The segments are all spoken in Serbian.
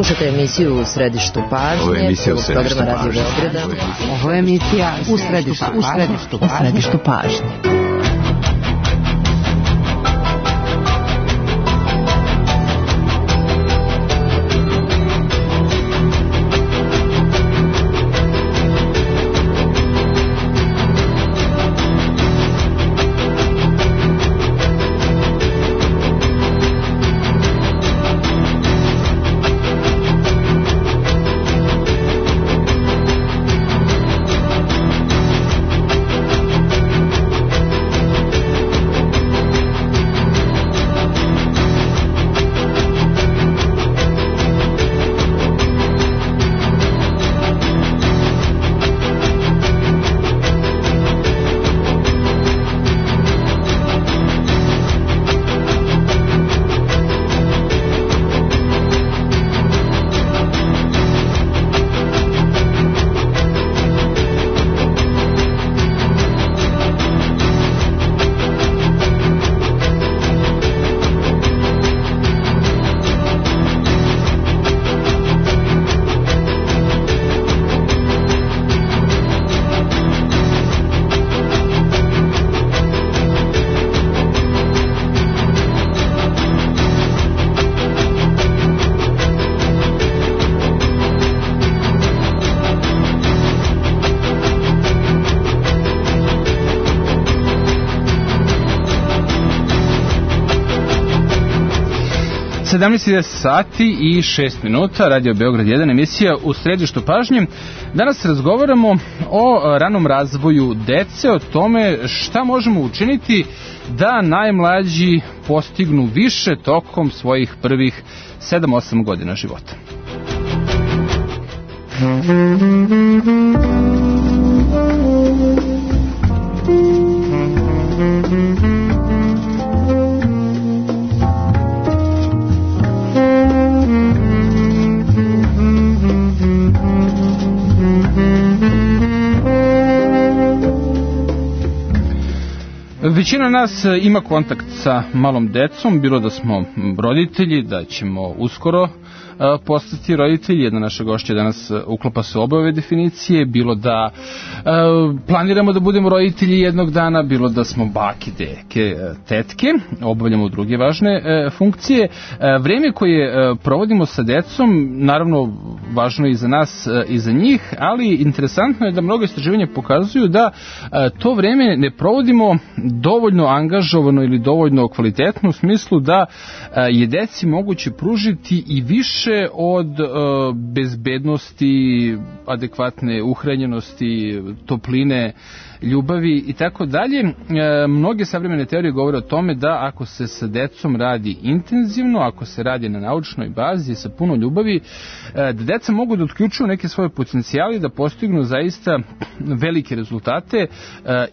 Slušate emisiju U središtu pažnje, programa Radio Beograda. Ovo je emisija U središtu pažnje. Sati i 6 minuta, Radio Beograd 1, emisija U središtu pažnje. Danas razgovaramo o ranom razvoju dece, o tome šta možemo učiniti da najmlađi postignu više tokom svojih prvih 7-8 godina života. Većina nas ima kontakt sa malom decom, bilo da smo roditelji, da ćemo uskoro postati roditelji. Jedna naša gošća danas uklapa se obe ove definicije, bilo da planiramo da budemo roditelji jednog dana, bilo da smo bake, deke, tetke, obavljamo druge važne funkcije. Vreme koje provodimo sa decom, naravno važno je i za nas i za njih, ali interesantno je da mnogo istraživanja pokazuju da to vreme ne provodimo dovoljno angažovano ili dovoljno kvalitetno, u smislu da je deci moguće pružiti i više od bezbednosti, adekvatne uhranjenosti, topline, ljubavi i tako dalje. Mnoge savremene teorije govore o tome da ako se sa decom radi intenzivno, ako se radi na naučnoj bazi sa puno ljubavi, da deca mogu da otključuju neke svoje potencijale i da postignu zaista velike rezultate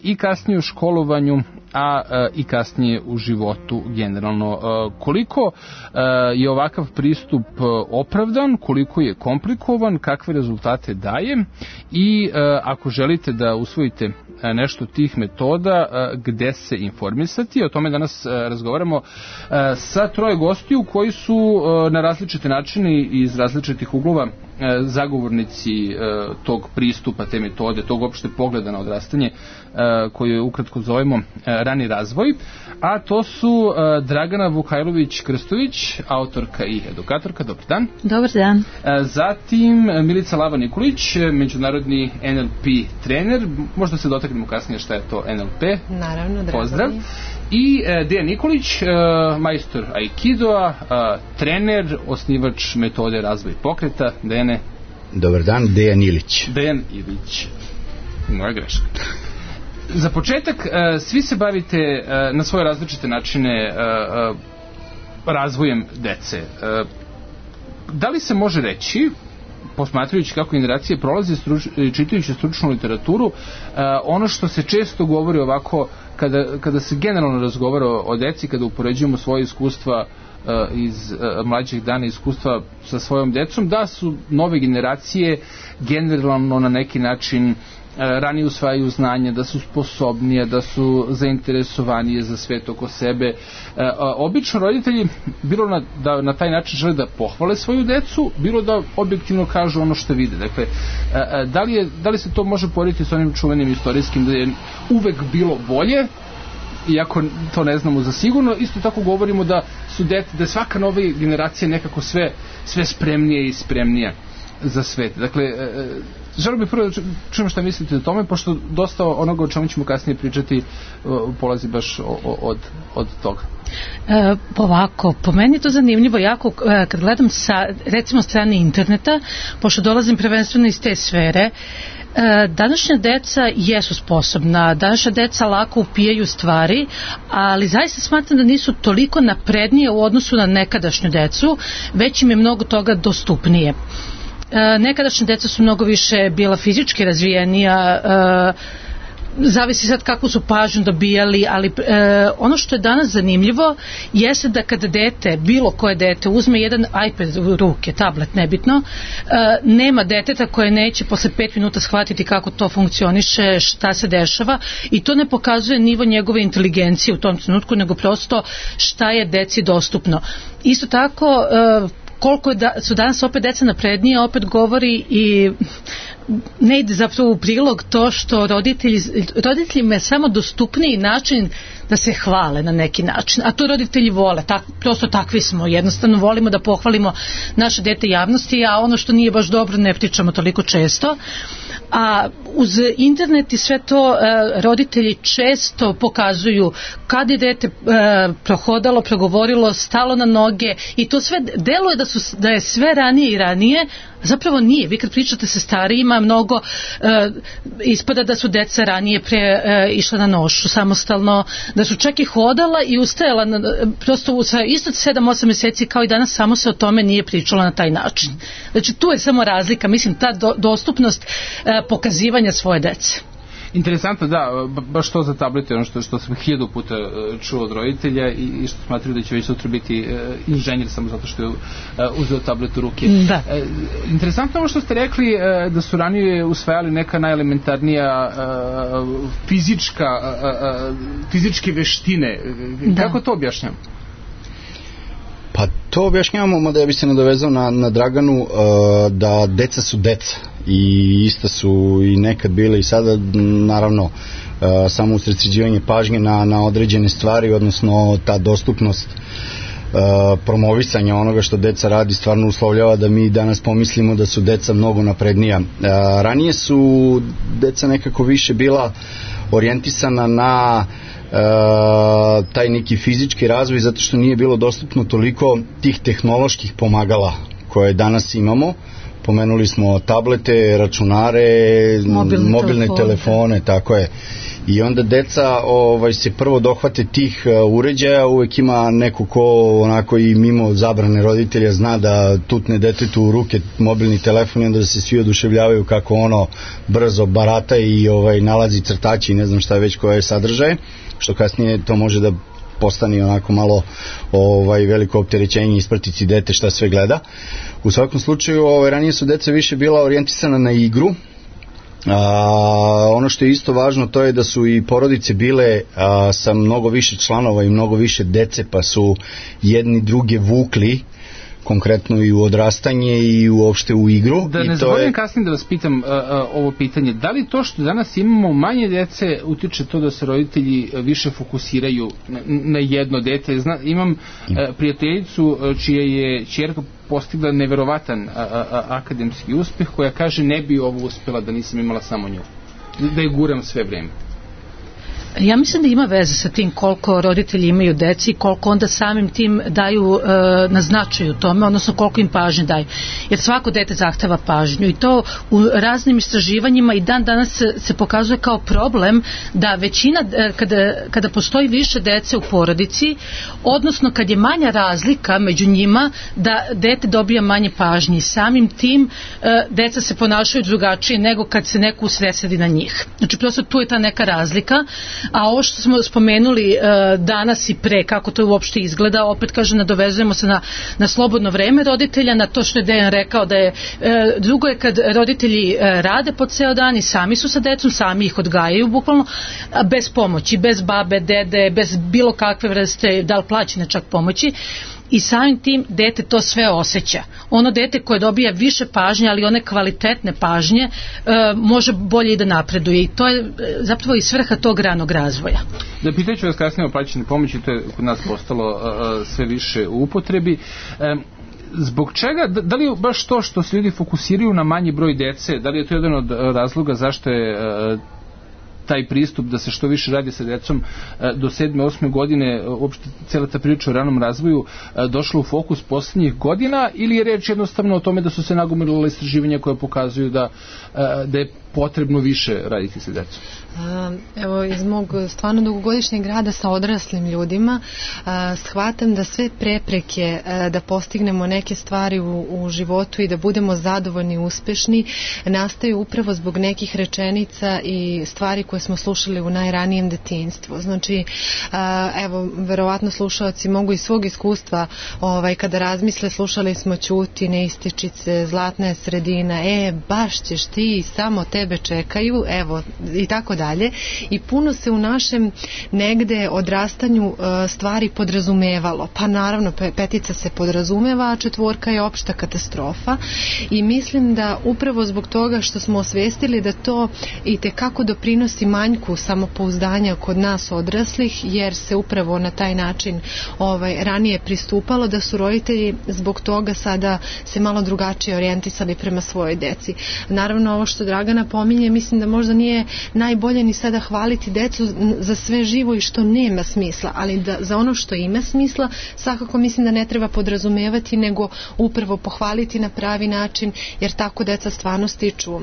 i kasnije u školovanju, a i kasnije u životu generalno. Koliko je ovakav pristup opravdan, koliko je komplikovan, kakve rezultate daje i ako želite da usvojite nešto tih metoda, gde se informisati. O tome danas razgovaramo sa troje gostiju koji su na različite načine i iz različitih uglova zagovornici tog pristupa, te metode, tog opšte pogleda na odrastanje koju ukratko zovemo rani razvoj, a to su Dragana Vukajlović-Krstović, autorka i edukatorka. Dobar dan. Dobar dan. Zatim Milica Lava-Nikolić, međunarodni NLP trener. Možda se dotaknemo kasnije šta je to NLP. Naravno, drago. Pozdrav. I Dejan Nikolić, majstor Aikidoa, trener, osnivač metode razvoj pokreta. Dejane. Dobar dan, Dejan Ilić. Dejan Ilić. Moja greška. Za početak, svi se bavite na svoje različite načine razvojem dece. Da li se može reći, posmatrajući kako generacije prolaze, čitajući stručnu literaturu, ono što se često govori ovako, kada se generalno razgovara o deci, kada upoređujemo svoje iskustva iz mlađih dana, iskustva sa svojom decom, da su nove generacije generalno na neki način ranije usvajaju znanje, da su sposobnije, da su zainteresovanije za svet oko sebe. Obično roditelji, bilo da na taj način žele da pohvale svoju decu, bilo da objektivno kažu ono što vide. Dakle, da li se to može porediti s onim čuvenim istorijskim da je uvek bilo bolje, iako to ne znamo za sigurno, isto tako govorimo da je svaka nova generacija nekako sve spremnije i spremnija za svet. Dakle, želim bih prvo da čujem šta mislite o tome, pošto dosta onoga o čemu ćemo kasnije pričati polazi baš od toga. Ovako, po meni je to zanimljivo jako kad gledam sa recimo strane interneta, pošto dolazim prvenstveno iz te sfere. Današnja deca jesu sposobna, današnja deca lako upijaju stvari, ali zaista smatram da nisu toliko naprednije u odnosu na nekadašnju decu, već im je mnogo toga dostupnije. Nekadašnje deca su mnogo više bila fizički razvijenija, zavisi sad kakvu su pažnju dobijali, ali ono što je danas zanimljivo jeste da kada dete, bilo koje dete uzme jedan iPad u ruke, tablet, nebitno, nema deteta koje neće posle 5 minuta shvatiti kako to funkcioniše, šta se dešava, i to ne pokazuje nivo njegove inteligencije u tom trenutku, nego prosto šta je deci dostupno. Isto tako, koliko su danas opet deca naprednije, opet govori i ne ide zapravo u prilog to što roditeljima je samo dostupniji način da se hvale na neki način, a to roditelji vole, prosto takvi smo, jednostavno volimo da pohvalimo naše dete javnosti, a ono što nije baš dobro ne pričamo toliko često. A uz internet i sve to roditelji često pokazuju kad je dete prohodalo, progovorilo, stalo na noge, i to sve deluje da je sve ranije i ranije, a zapravo nije. Vi kad pričate sa starijima, mnogo ispada da su deca ranije išla na nošu samostalno, da su čak i hodala i ustajala prosto isto 7-8 mjeseci kao i danas, samo se o tome nije pričalo na taj način. Znači tu je samo razlika, mislim, ta dostupnost pokazivanja svoje dece. Interesantno, da, baš to za tablete, ono što sam 1000 puta čuo od roditelja i što smatraju da će već sutra biti inženjer samo zato što je uzeo tablet u ruke. Da. Interesantno ono što ste rekli da su ranije usvajali neka najelementarnija fizičke veštine. Da. Kako to objašnjam? Pa to objašnjavamo, da ja bi se nadovezao na Draganu, da deca su deca i ista su i nekad bile i sada, naravno, samo usredsređivanje pažnje na određene stvari, odnosno ta dostupnost promovisanja onoga što deca radi stvarno uslovljava da mi danas pomislimo da su deca mnogo naprednija. Ranije su deca nekako više bila orijentisana na taj neki fizički razvoj, zato što nije bilo dostupno toliko tih tehnoloških pomagala koje danas imamo. Pomenuli smo tablete, računare, mobilne telefone, tako je. I onda deca se prvo dohvate tih uređaja, uvek ima neko ko onako i mimo zabrane roditelja zna da tutne detetu u ruke mobilni telefon i onda se svi oduševljavaju kako ono brzo barata i nalazi crtači i ne znam šta već koje sadržaje, što kasnije to može da postane onako malo veliko opterećenje, ispratiti dete šta sve gleda. U svakom slučaju ranije su deca više bila orijentisana na igru. Ono što je isto važno, to je da su i porodice bile sa mnogo više članova i mnogo više dece, pa su jedni druge vukli konkretno i u odrastanje i uopšte u igru. Da ne zaboravim kasnije da vas pitam ovo pitanje, da li to što danas imamo manje dece utiče to da se roditelji više fokusiraju na jedno dete? Imam prijateljicu čija je ćerka postigla neverovatan akademski uspeh, koja kaže ne bi ovo uspela da nisam imala samo nju, da je guram sve vreme. Ja mislim da ima veze sa tim koliko roditelji imaju deci, koliko onda samim tim daju na značaju tome, odnosno koliko im pažnje daju. Jer svako dete zahteva pažnju i to u raznim istraživanjima i dan danas se pokazuje kao problem da većina, kada postoji više dece u porodici, odnosno kad je manja razlika među njima, da dete dobija manje pažnje. Samim tim deca se ponašaju drugačije nego kad se neko usredsredi na njih. Znači prosto tu je ta neka razlika. A ovo što smo spomenuli danas i pre, kako to uopšte izgleda, opet kažem, nadovezujemo se na slobodno vreme roditelja, na to što je Dejan rekao da je, drugo je kad roditelji rade po ceo dan i sami su sa decom, sami ih odgajaju bukvalno, bez pomoći, bez babe, dede, bez bilo kakve vrste, da li plaćene čak pomoći. I samim tim dete to sve osjeća. Ono dete koje dobija više pažnje, ali one kvalitetne pažnje, može bolje i da napreduje. I to je zapravo i svrha tog ranog razvoja. Da, pitaću vas kasnije o plaćenoj pomoći, to je kod nas postalo sve više u upotrebi. Zbog čega, da li je baš to što se ljudi fokusiraju na manji broj dece, da li je to jedan od razloga zašto je taj pristup da se što više radi sa decom do 7. 8. godine, uopšte cijela ta priča o ranom razvoju došla u fokus posljednjih godina, ili je reč jednostavno o tome da su se nagomilala istraživanja koje pokazuju da je potrebno više raditi sa decom? Evo, iz mog stvarno dugogodišnjeg rada sa odraslim ljudima shvatam da sve prepreke da postignemo neke stvari u životu i da budemo zadovoljni i uspešni nastaju upravo zbog nekih rečenica i stvari koje smo slušali u najranijem detinjstvu. Znači, evo, verovatno slušalci mogu iz svog iskustva, kada razmisle, slušali smo ćuti, neističice, zlatna je sredina, baš ćeš ti, samo tebe čekaju, evo, i tako dalje. I puno se u našem negde odrastanju stvari podrazumevalo. Pa naravno, petica se podrazumeva, a 4 je opšta katastrofa. I mislim da upravo zbog toga što smo osvestili da to i tekako doprinosi manjku samopouzdanja kod nas odraslih, jer se upravo na taj način ranije pristupalo, da su roditelji zbog toga sada se malo drugačije orijentisali prema svojoj deci. Naravno, ovo što Dragana pominje, mislim da možda nije najbolje ni sada hvaliti decu za sve živo i što nema smisla, ali da za ono što ima smisla svakako mislim da ne treba podrazumevati, nego upravo pohvaliti na pravi način, jer tako deca stvarno stiču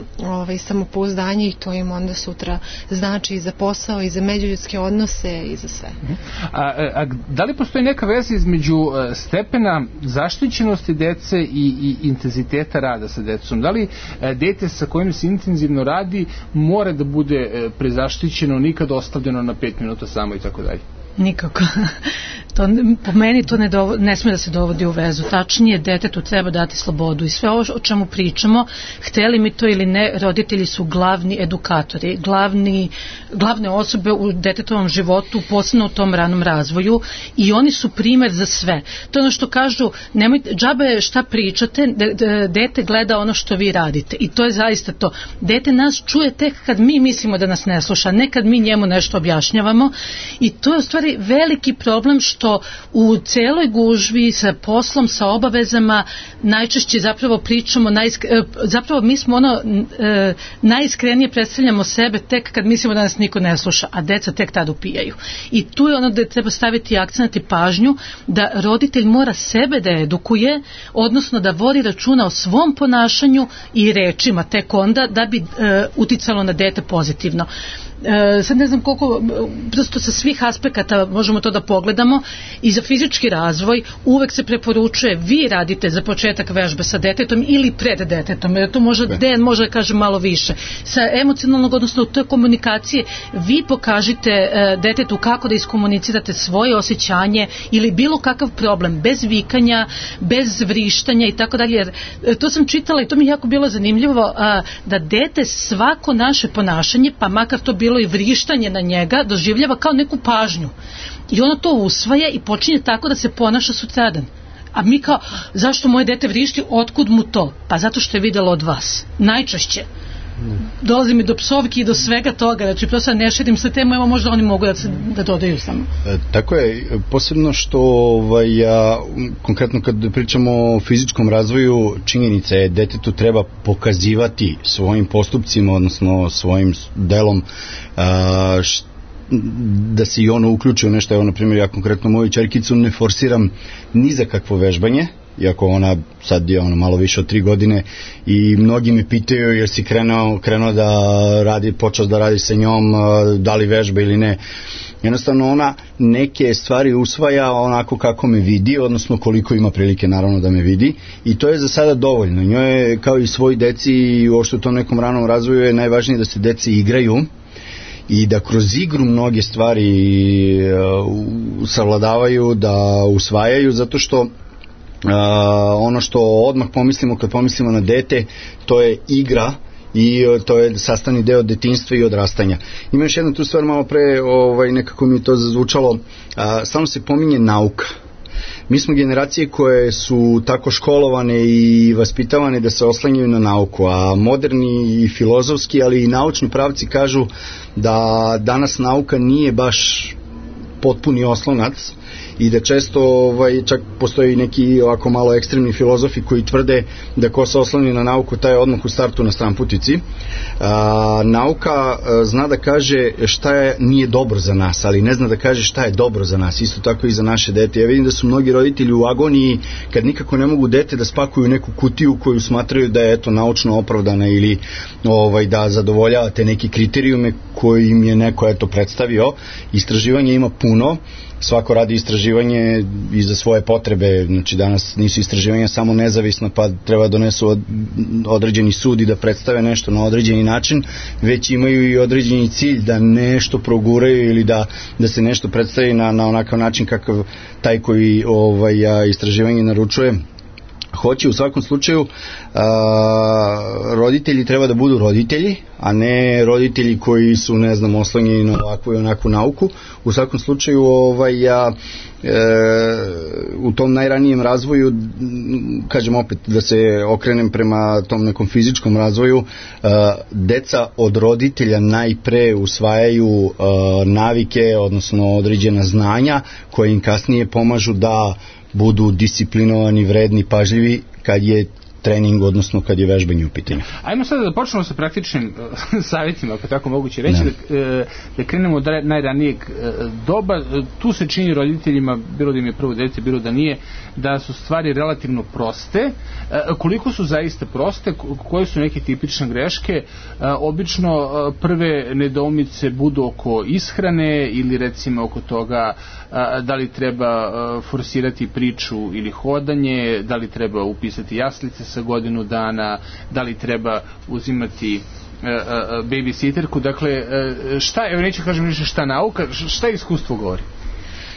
samopouzdanje i to im onda sutra znači i za posao i za međuljudske odnose i za sve. A da li postoji neka veza između stepena zaštićenosti dece i intenziteta rada sa decom? Da li dete sa kojim se intenzivno radi mora da bude prezaštićeno, nikad ostavljeno na 5 minuta samo i tako dalje? Nikako. Po meni to ne smije da se dovodi u vezu. Tačnije, detetu treba dati slobodu i sve ovo o čemu pričamo, hteli mi to ili ne, roditelji su glavni edukatori, glavne osobe u detetovom životu, posebno u tom ranom razvoju, i oni su primer za sve. To je ono što kažu, nemojte, džabe šta pričate, dete gleda ono što vi radite, i to je zaista to. Dete nas čuje tek kad mi mislimo da nas ne sluša, ne kad mi njemu nešto objašnjavamo, i to je u stvari veliki problem što u celoj gužvi sa poslom, sa obavezama najčešće zapravo pričamo, zapravo mi smo najiskrenije predstavljamo sebe tek kad mislimo da nas niko ne sluša, a deca tek tad upijaju. I tu je ono da treba staviti akcent i pažnju da roditelj mora sebe da edukuje, odnosno da vodi računa o svom ponašanju i rečima tek onda da bi uticalo na dete pozitivno. Sad ne znam koliko, prosto sa svih aspekata možemo to da pogledamo. I za fizički razvoj uvek se preporučuje, vi radite za početak vežbe sa detetom ili pred detetom, jer to Dejan može da kaže malo više. Sa emocionalnog, odnosno u toj komunikacije, vi pokažite detetu kako da iskomunicirate svoje osjećanje ili bilo kakav problem, bez vikanja, bez vrištanja i tako dalje. Jer to sam čitala i to mi je jako bilo zanimljivo, da dete svako naše ponašanje, pa makar to bilo i vrištanje na njega, doživljava kao neku pažnju. I ono to usvaja i počinje tako da se ponaša sutradan. A mi kao, zašto moje dete vrišti, otkud mu to? Pa zato što je videlo od vas. Najčešće. Dolazi mi do psovki i do svega toga, znači prosto ne širim sa temu, evo možda oni mogu da dodaju samo. Tako je, posebno što konkretno kad pričamo o fizičkom razvoju, činjenica je detetu treba pokazivati svojim postupcima, odnosno svojim delom da se i ono uključi u nešto. Evo, na primjer, ja konkretno moju ćerkicu ne forsiram ni za kakvo vežbanje, iako ona sad je malo više od 3 godine, i mnogi me pitaju jer si krenuo da radi, počeo da radi sa njom, da li vežba ili ne. Jednostavno ona neke stvari usvaja onako kako me vidi, odnosno koliko ima prilike naravno da me vidi, i to je za sada dovoljno. Njoj je, kao i svoj deci i uopšte u tom nekom ranom razvoju, je najvažnije da se deci igraju i da kroz igru mnoge stvari savladavaju, da usvajaju, zato što ono što odmah pomislimo kad pomislimo na dete, to je igra i to je sastavni deo detinjstva i odrastanja. Ima još jedna tu stvar, malo pre nekako mi to zazvučalo, stalno se pominje nauka. Mi smo generacije koje su tako školovane i vaspitavane da se oslanjaju na nauku, a moderni i filozofski, ali i naučni pravci kažu da danas nauka nije baš potpuni oslonac i da često čak postoji neki ovako malo ekstremni filozofi koji tvrde da ko se osloni na nauku taj je odmah u startu na stranputici. Nauka zna da kaže šta nije dobro za nas, ali ne zna da kaže šta je dobro za nas, isto tako i za naše dete. Ja vidim da su mnogi roditelji u agoniji kad nikako ne mogu dete da spakuju neku kutiju koju smatraju da je naučno opravdana ili da zadovoljava te neki kriterijume koji im je neko predstavio. Istraživanja ima puno, svako radi istraživanje i za svoje potrebe, znači danas nisu istraživanja samo nezavisna pa treba donesu određeni sud i da predstave nešto na određeni način, već imaju i određeni cilj da nešto proguraju ili da se nešto predstavi na onakav način kakav taj koji istraživanje naručuje hoće. U svakom slučaju roditelji treba da budu roditelji, a ne roditelji koji su, ne znam, oslonjeni na ovakvu i onakvu nauku. U svakom slučaju u tom najranijem razvoju, kažem opet da se okrenem prema tom nekom fizičkom razvoju, deca od roditelja najpre usvajaju navike, odnosno određena znanja koje im kasnije pomažu da budu disciplinovani, vredni, pažljivi kad je trening, odnosno kad je vežbanje u pitanju. Ajmo sada da počnemo sa praktičnim savjetima, ako tako moguće reći, da krenemo od najranijeg doba. Tu se čini roditeljima, bilo da im je prvo dete, bilo da nije, da su stvari relativno proste. Koliko su zaista proste, koje su neke tipične greške? Obično prve nedoumice budu oko ishrane ili recimo oko toga da li treba forsirati priču ili hodanje, da li treba upisati jaslice sa godinu dana, da li treba uzimati babysitterku. Dakle, evo neću kažem više šta nauka, šta iskustvo govori?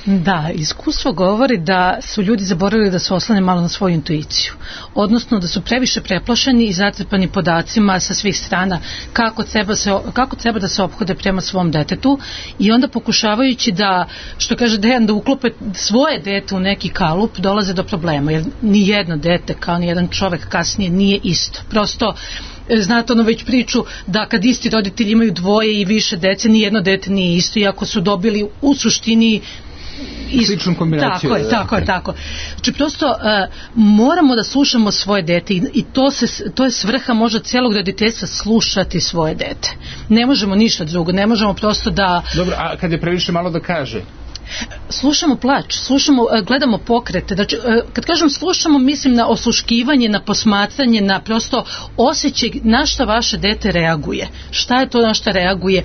Da, iskustvo govori da su ljudi zaboravili da se oslane malo na svoju intuiciju, odnosno da su previše preplašeni i zatrpani podacima sa svih strana kako treba da se ophode prema svom detetu i onda pokušavajući da, što kaže Dejan, da uklope svoje dete u neki kalup, dolaze do problema, jer ni jedno dete kao ni jedan čovek kasnije nije isto. Prosto znate već priču da kad isti roditelji imaju dvoje i više dece, ni jedno dete nije isto, iako su dobili u suštini sličnu kombinaciju. Tako. Znači prosto moramo da slušamo svoje dete i to je svrha možda cijelog roditeljstva, slušati svoje dete. Ne možemo ništa drugo, ne možemo prosto da... Dobro, a kad je previše malo da kaže? Slušamo plač, gledamo pokrete. Znači, kad kažem slušamo, mislim na osluškivanje, na posmatranje, na prosto osjećaj na šta vaše dete reaguje. Šta je to na šta reaguje?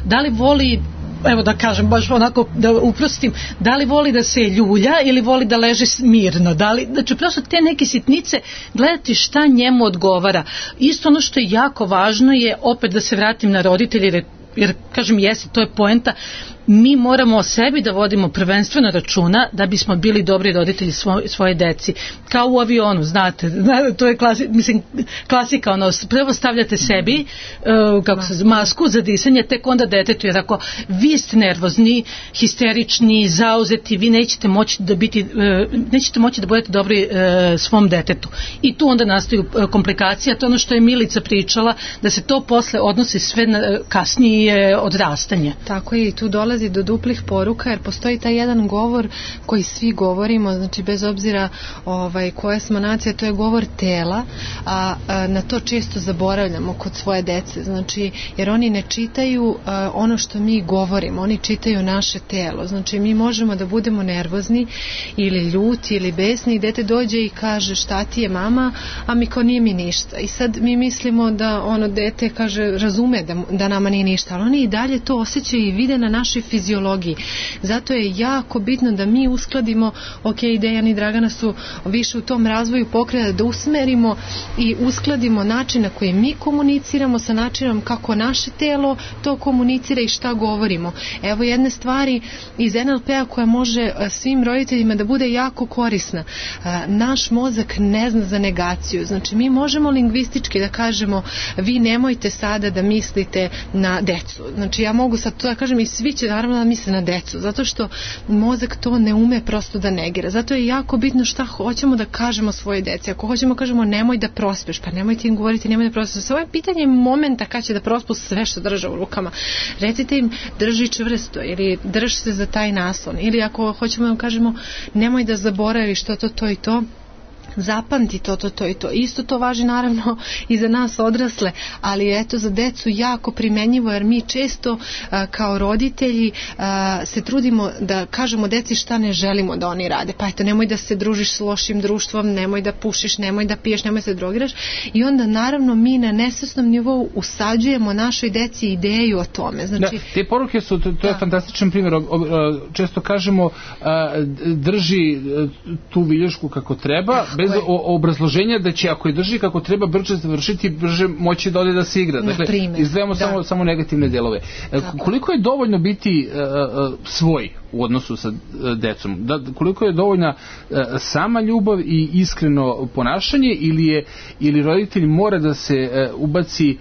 Da li voli, evo da kažem, baš onako da uprostim, da li voli da se ljulja ili voli da leži mirno, znači prosto te neke sitnice, gledati šta njemu odgovara. Isto ono što je jako važno je opet da se vratim na roditelje, jer kažem to je poenta, mi moramo o sebi da vodimo prvenstveno računa da bismo bili dobri roditelji svoje deci. Kao u avionu, znate, to je klasika, prvo stavljate sebi masku za disanje, tek onda detetu, jer ako vi ste nervozni, histerični, zauzeti, vi nećete moći da budete dobri svom detetu. I tu onda nastaju komplikacije, to je ono što je Milica pričala, da se to posle odnosi sve na kasnije odrastanje. Tako je, i tu dolazi do duplih poruka, jer postoji taj jedan govor koji svi govorimo, znači bez obzira koja smo nacija, to je govor tela, a na to često zaboravljamo kod svoje dece, znači jer oni ne čitaju ono što mi govorimo, oni čitaju naše telo, znači mi možemo da budemo nervozni ili ljuti ili besni i dete dođe i kaže šta ti je mama, a mi kao nije mi ništa, i sad mi mislimo da dete kaže razume da nama nije ništa, ali oni i dalje to osjećaju i vide na našoj fiziologiji. Zato je jako bitno da mi uskladimo, Dejan i Dragana su više u tom razvoju pokreta, da usmerimo i uskladimo način na koji mi komuniciramo sa načinom kako naše telo to komunicira i šta govorimo. Evo jedne stvari iz NLP-a koja može svim roditeljima da bude jako korisna. Naš mozak ne zna za negaciju. Znači mi možemo lingvistički da kažemo vi nemojte sada da mislite na decu. Znači ja mogu sad to da kažem i svi će naravno da misle na decu, zato što mozak to ne ume prosto da negira. Zato je jako bitno šta hoćemo da kažemo svoje deci. Ako hoćemo kažemo nemoj da prospeš, pa nemojte im govoriti nemoj da prospeš. Sve je pitanje momenta kad će da prospu sve što drža u rukama. Recite im drži čvrsto ili drž se za taj naslon. Ili ako hoćemo da kažemo nemoj da zaboraviš to i to, zapamti to i to. Isto to važi naravno i za nas odrasle, ali eto za decu jako primenjivo, jer mi često kao roditelji se trudimo da kažemo deci šta ne želimo da oni rade. Pa eto, nemoj da se družiš s lošim društvom, nemoj da pušiš, nemoj da piješ, nemoj da se drogiraš, i onda naravno mi na nesvesnom nivou usađujemo našoj deci ideju o tome. Znači, te poruke su, to je fantastičan primjer. Često kažemo drži tu viljušku kako treba, bez obrazloženja da će ako je drži kako treba brže završiti, brže moći da ode da se igra. Dakle, izdvajamo samo negativne delove. Koliko je dovoljno biti svoj u odnosu sa decom? Koliko je dovoljna sama ljubav i iskreno ponašanje, ili roditelj mora da se ubaci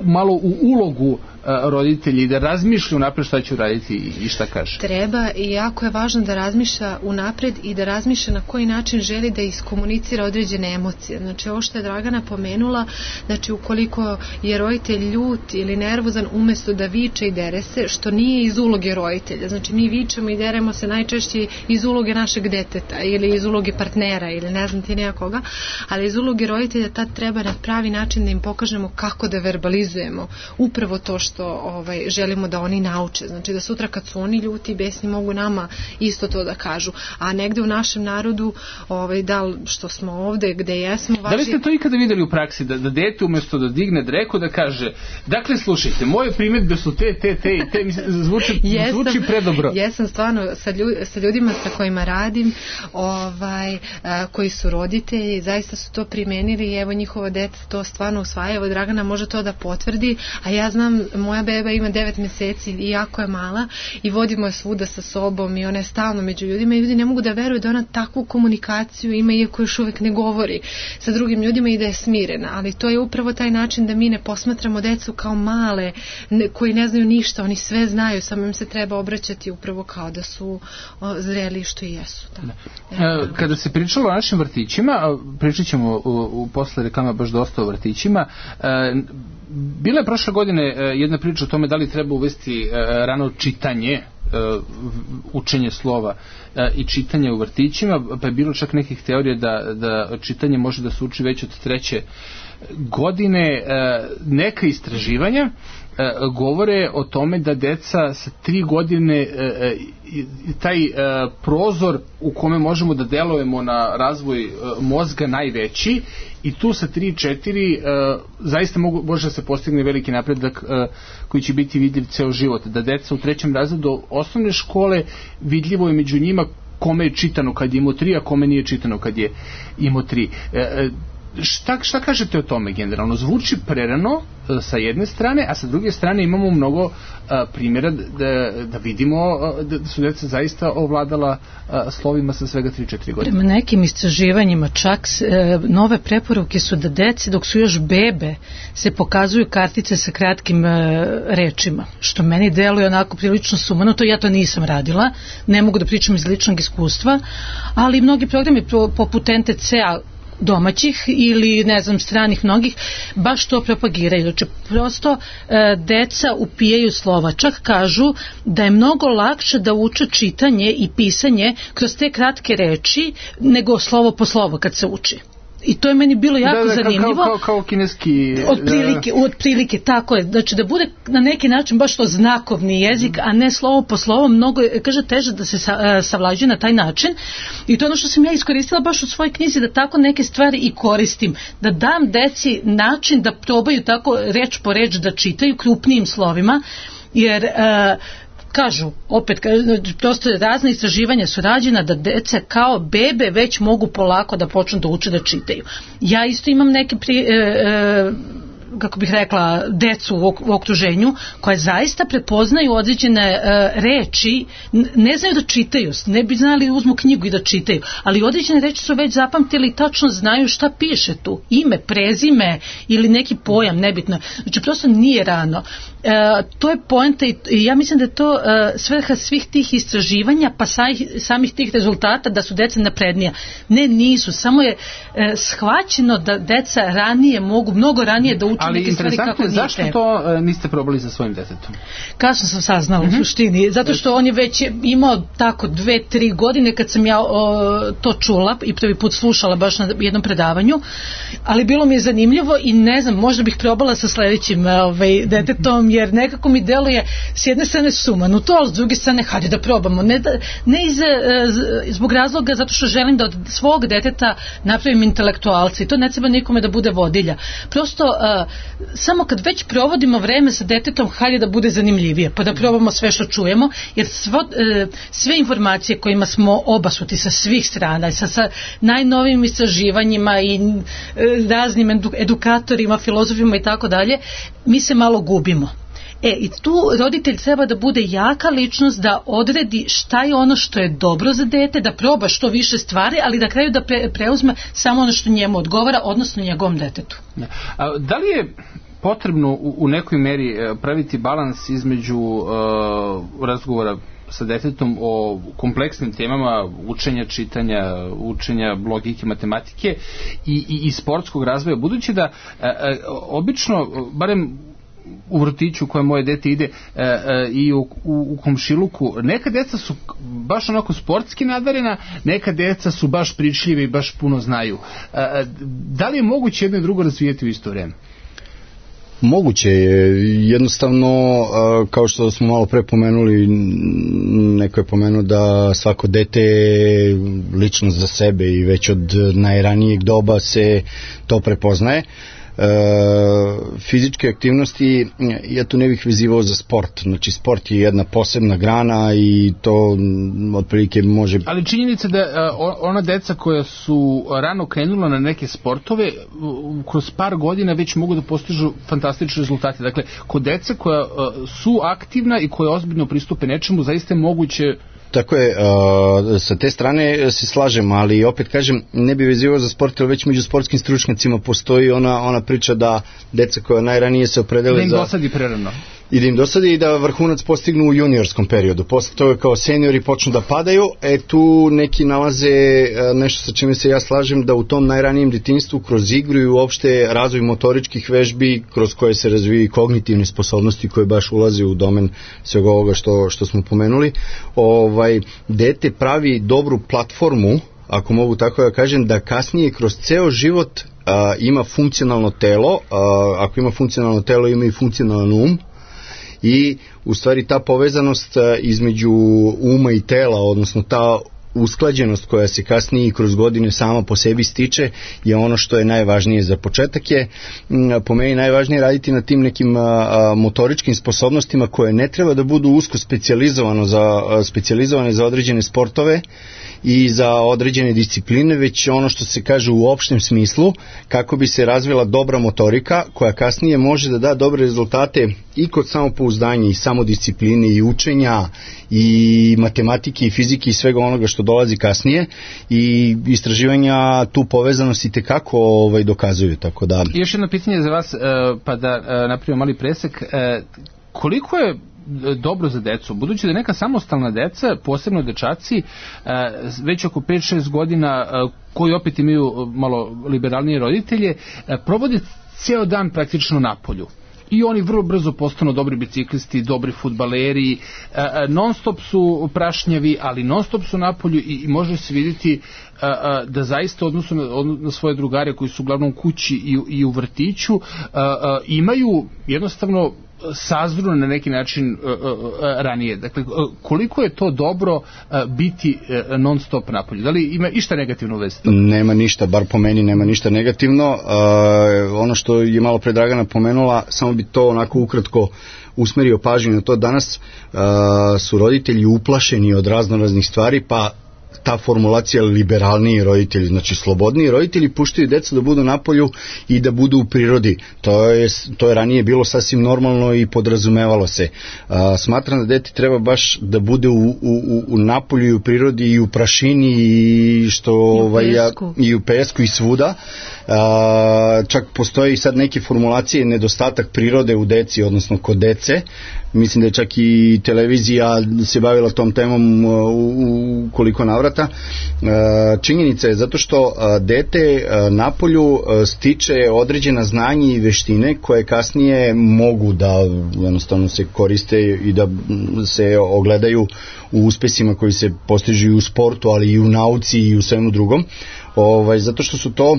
malo u ulogu roditelji, da razmišlja unapred šta će uraditi i šta kaže? Treba, i jako je važno da razmišlja unapred i da razmišlja na koji način želi da iskomunicira određene emocije. Znači ovo što je Dragana pomenula, znači ukoliko je roditelj ljut ili nervozan, umesto da viče i dere se, što nije iz uloge roditelja. Znači mi vičemo i deremo se najčešće iz uloge našeg deteta ili iz uloge partnera ili ne znam ti nekoga, ali iz uloge roditelja tad treba na pravi način da im pokažemo kako da verbalizujemo upravo to što želimo da oni nauče. Znači da sutra kad su oni ljuti i besni mogu nama isto to da kažu. A negde u našem narodu, da li što smo ovde gde jesmo, Da li ste to ikada videli u praksi, da dete umesto da digne dreku da kaže, dakle slušajte, moje primjedbe su te i te, zvuči predobro. Jesam stvarno sa ljudima sa kojima radim, koji su roditelji, zaista su to primenili i evo njihova deca to stvarno usvaja. Evo Dragana može to da potvrdi, a ja znam, moja beba ima 9 meseci i jako je mala i vodimo je svuda sa sobom i ona je stalno među ljudima i ljudi ne mogu da veruju da ona takvu komunikaciju ima, iako još uvek ne govori sa drugim ljudima i da je smirena, ali to je upravo taj način da mi ne posmatramo decu kao male koji ne znaju ništa, oni sve znaju, samo im se treba obraćati upravo kao da su zreli što i jesu. Kada se pričalo o našim vrtićima, pričat ćemo posle reklama baš dosta o vrtićima, bila je prošle godine jedna priča o tome da li treba uvesti rano čitanje, učenje slova i čitanje u vrtićima, pa je bilo čak nekih teorija da čitanje može da se uči već od 3. godine. Neka istraživanja govore o tome da deca sa 3 godine taj prozor u kome možemo da delujemo na razvoj mozga najveći, i tu sa 3-4 zaista može da se postigne veliki napredak koji će biti vidljiv ceo život. Da deca u 3. razredu osnovne škole, vidljivo je među njima kome je čitano kad je imao 3, a kome nije čitano kad je imao 3. Šta kažete o tome generalno? Zvuči prerano sa jedne strane, a sa druge strane imamo mnogo primjera da vidimo da su deca zaista ovladala slovima sa svega 3-4 godine. Prema nekim istraživanjima čak nove preporuke su da deci dok su još bebe se pokazuju kartice sa kratkim rečima, što meni deluje onako prilično sumanuto. Ja to nisam radila, ne mogu da pričam iz ličnog iskustva, ali mnogi programi poput NTC-a domaćih ili ne znam stranih mnogih baš to propagiraju. Znači prosto deca upijaju slova, čak kažu da je mnogo lakše da uče čitanje i pisanje kroz te kratke reči nego slovo po slovo kad se uči. I to je meni bilo jako zanimljivo. Kao kineski... Otprilike, tako je. Znači da bude na neki način baš to znakovni jezik, a ne slovo po slovo, mnogo je, kaže, teže da se savlađuje na taj način. I to je ono što sam ja iskoristila baš u svojoj knjizi, da tako neke stvari i koristim. Da dam deci način da probaju tako reč po reč da čitaju krupnijim slovima, jer kažu, opet, prosto razne istraživanja su rađena da deca kao bebe već mogu polako da počnu da uče da čitaju. Ja isto imam neke kako bih rekla, decu u okruženju koje zaista prepoznaju određene reči, ne znaju da čitaju, ne bi znali uzmu knjigu i da čitaju, ali određene reči su već zapamtili i tačno znaju šta piše tu, ime, prezime ili neki pojam, nebitno. Znači prosto nije rano. To je poenta i ja mislim da je to svrha svih tih istraživanja pa samih tih rezultata da su deca naprednija. Ne, nisu, samo je shvaćeno da deca ranije mogu, mnogo ranije da uče neke stvari kako nije. Zašto to niste probali sa svojim detetom? Kasno sam saznala u suštini, zato što on je već imao tako 2-3 godine kad sam ja to čula i prvi put slušala baš na jednom predavanju, ali bilo mi je zanimljivo i ne znam, možda bih probala sa sledećim detetom, jer nekako mi deluje s jedne strane sumanuto, ali s druge strane hajde da probamo. Ne zbog razloga zato što želim da od svog deteta napravim intelektualca i to ne treba nikome da bude vodilja. Prosto samo kad već provodimo vreme sa detetom, hajde da bude zanimljivije, pa da probamo sve što čujemo, jer sve informacije kojima smo obasuti sa svih strana, sa najnovijim istraživanjima i raznim edukatorima, filozofima i tako dalje, mi se malo gubimo. I tu roditelj treba da bude jaka ličnost da odredi šta je ono što je dobro za dete, da proba što više stvari, ali da kraju da preuzme samo ono što njemu odgovara, odnosno njegovom detetu. Da li je potrebno u nekoj meri praviti balans između razgovora sa detetom o kompleksnim temama učenja, čitanja, učenja logike, matematike i sportskog razvoja, budući da obično, barem u vrtiću koje moje dete ide i u komšiluku, neka deca su baš onako sportski nadarena, neka deca su baš pričljive i baš puno znaju. Da li je moguće jedno i drugo razvijeti u isto vreme? Moguće je, jednostavno, kao što smo malo pre pomenuli, neko je pomenuo da svako dete je ličnost za sebe i već od najranijeg doba se to prepoznaje. Fizičke aktivnosti ja tu ne bih vezivao za sport, znači sport je jedna posebna grana i to otprilike može... Ali činjenica da ona deca koja su rano krenula na neke sportove kroz par godina već mogu da postižu fantastične rezultate. Dakle, kod deca koja su aktivna i koja ozbiljno pristupe nečemu, zaista je moguće. Tako je, sa te strane se slažem, ali opet kažem, ne bi vezivao za sport, ali već među sportskim stručnjacima postoji ona priča da deca koja najranije se opredele da im dosadi prerano. I da im dosadi i da vrhunac postignu u juniorskom periodu. Posle toga kao seniori počnu da padaju, tu neki nalaze nešto sa čime se ja slažem, da u tom najranijem detinjstvu kroz igru i uopšte razvoj motoričkih vežbi kroz koje se razviju kognitivne sposobnosti koje baš ulaze u domen svega ovoga što smo pomenuli, dete pravi dobru platformu, ako mogu tako da kažem, da kasnije kroz ceo život ima funkcionalno telo, ako ima funkcionalno telo ima i funkcionalan um, i u stvari ta povezanost između uma i tela, odnosno ta usklađenost koja se kasnije i kroz godine sama po sebi stiče je ono što je najvažnije. Za početak je po meni najvažnije raditi na tim nekim motoričkim sposobnostima koje ne treba da budu usko specijalizovane za određene sportove i za određene discipline, već ono što se kaže u opštem smislu, kako bi se razvila dobra motorika koja kasnije može da da dobre rezultate i kod samopouzdanja i samodiscipline i učenja i matematike i fizike i svega onoga što dolazi kasnije, i istraživanja tu povezanost i tekako dokazuju. Tako da... Još jedno pitanje za vas, pa da napravimo mali presek. Koliko je dobro za decu, budući da neka samostalna deca, posebno dečaci, već oko 5-6 godina, koji opet imaju malo liberalnije roditelje, provode ceo dan praktično na polju. I oni vrlo brzo postanu dobri biciklisti, dobri fudbaleri, non stop su prašnjavi, ali non stop su napolju i može se vidjeti da zaista odnosu na svoje drugare koji su uglavnom kući i u vrtiću imaju jednostavno sazru na neki način ranije. Dakle, koliko je to dobro biti non stop napolju? Da li ima išta negativno u vezi? Nema ništa, bar po meni nema ništa negativno. Ono što je malo pre Dragana pomenula, samo bi to onako ukratko usmerio pažnju na to. Danas su roditelji uplašeni od raznoraznih stvari, pa ta formulacija liberalniji roditelji, znači slobodniji roditelji puštaju decu da budu napolju i da budu u prirodi. To je ranije bilo sasvim normalno i podrazumevalo se. Smatram da dete treba baš da bude u napolju i u prirodi i u prašini i u pesku i svuda. Čak postoji sad neke formulacije nedostatak prirode u deci, odnosno kod dece. Mislim da je čak i televizija se bavila tom temom u koliko navrata. Činjenica je zato što dete napolju stiče određena znanja i veštine koje kasnije mogu da jednostavno se koriste i da se ogledaju u uspesima koji se postižu i u sportu, ali i u nauci i u svemu drugom. Zato što su to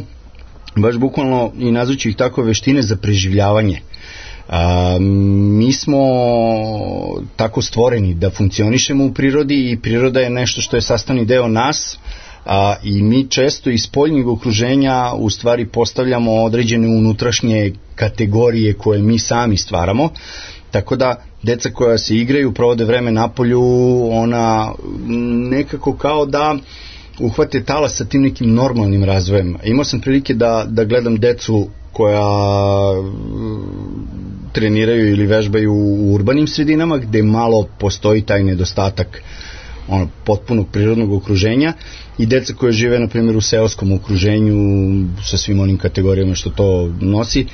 baš bukvalno, i nazvaću ih tako, veštine za preživljavanje. Mi smo tako stvoreni da funkcionišemo u prirodi i priroda je nešto što je sastavni deo nas, i mi često iz spoljnog okruženja u stvari postavljamo određene unutrašnje kategorije koje mi sami stvaramo, tako da deca koja se igraju, provode vreme napolju, ona nekako kao da uhvate talas sa tim nekim normalnim razvojem. Imao sam prilike da gledam decu koja treniraju ili vežbaju u urbanim sredinama gde malo postoji taj nedostatak potpunog prirodnog okruženja, i deca koje žive na primjer u seoskom okruženju sa svim onim kategorijama što to nosi.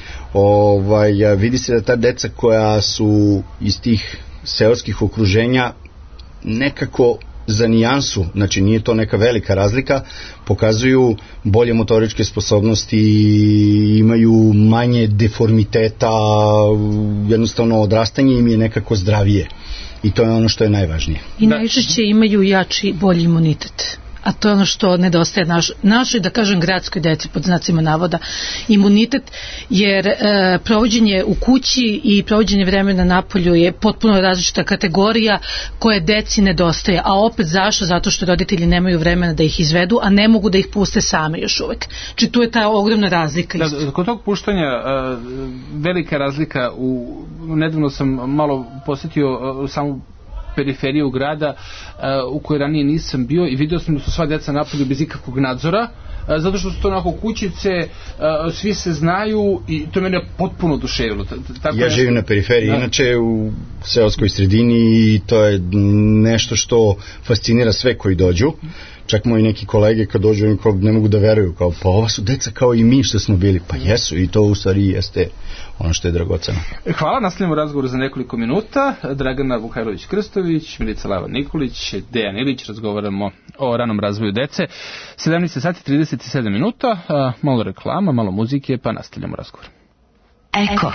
Vidi se da ta deca koja su iz tih seoskih okruženja nekako za nijansu, znači nije to neka velika razlika, pokazuju bolje motoričke sposobnosti, imaju manje deformiteta, jednostavno odrastanje im je nekako zdravije, i to je ono što je najvažnije. I najčešće imaju jači, bolji imunitet. A to je ono što nedostaje našoj, da kažem, gradskoj deci, pod znacima navoda, imunitet, jer provođenje u kući i provođenje vremena napolju je potpuno različita kategorija koje deci nedostaje. A opet zašto? Zato što roditelji nemaju vremena da ih izvedu, a ne mogu da ih puste same još uvek. Či tu je ta ogromna razlika. Kod tog puštanja velika razlika. Nedavno sam malo posjetio samu periferiju grada u kojoj ranije nisam bio i vidio sam da su sva deca napolju bez ikakvog nadzora, zato što su to onako kućice, svi se znaju, i to mene potpuno oduševilo. Ja živim na periferiji, inače u seoskoj sredini, i to je nešto što fascinira sve koji dođu. Čak moji neki kolege kad dođu ne mogu da veruju, kao pa ova su deca kao i mi što smo bili. Pa jesu, i to u stvari jeste ono što je dragoceno. Hvala, nastavljamo razgovor za nekoliko minuta. Dragana Vukajlović-Krstović, Milica Lava-Nikolić, Dejan Ilić, razgovaramo o ranom razvoju dece. 17 sati 37 minuta, malo reklama, malo muzike, pa nastavljamo razgovor. Eko.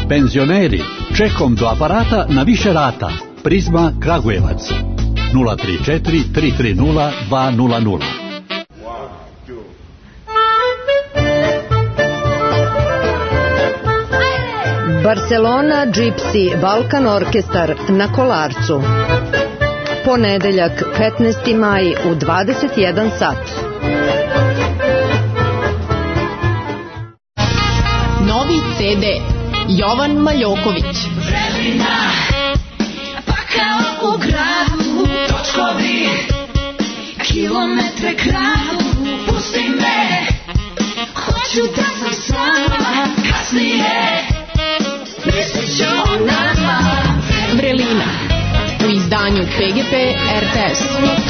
Penzioneri, čekom do aparata na više rata. Prizma Kragujevac. 034 330 200. Barcelona Gypsy Balkan Orkestar na Kolarcu. Ponedeljak 15. maj u 21 sat. Novi CD Jovan Maljoković. Vremena, pa kao u gradu, točkovi, kilometre kradu, pusti me, hoću da sam sama, kasnije, mislit ću o nama. Vrelina, u izdanju PGP RTS.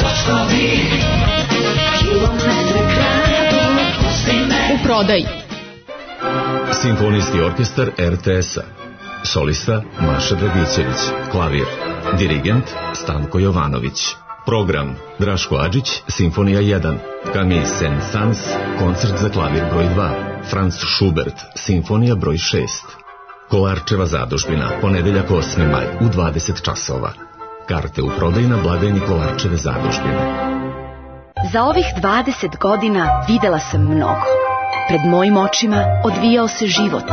Točkovi, kilometre kradu, pusti me. U prodaji. Simfonijski orkestar RTS-a. Solista Maša Dragićević. Klavir. Dirigent Stanko Jovanović. Program Draško Adžić, Simfonija 1. Camille Saint-Saëns, koncert za klavir broj 2. Franz Schubert, Simfonija broj 6. Kolarčeva zadužbina, ponedeljak 8. maj u 20 časova. Karte u prodaju na blagajni Kolarčeve zadužbine. Za ovih 20 godina videla sam mnogo. Pred mojim očima odvijao se život.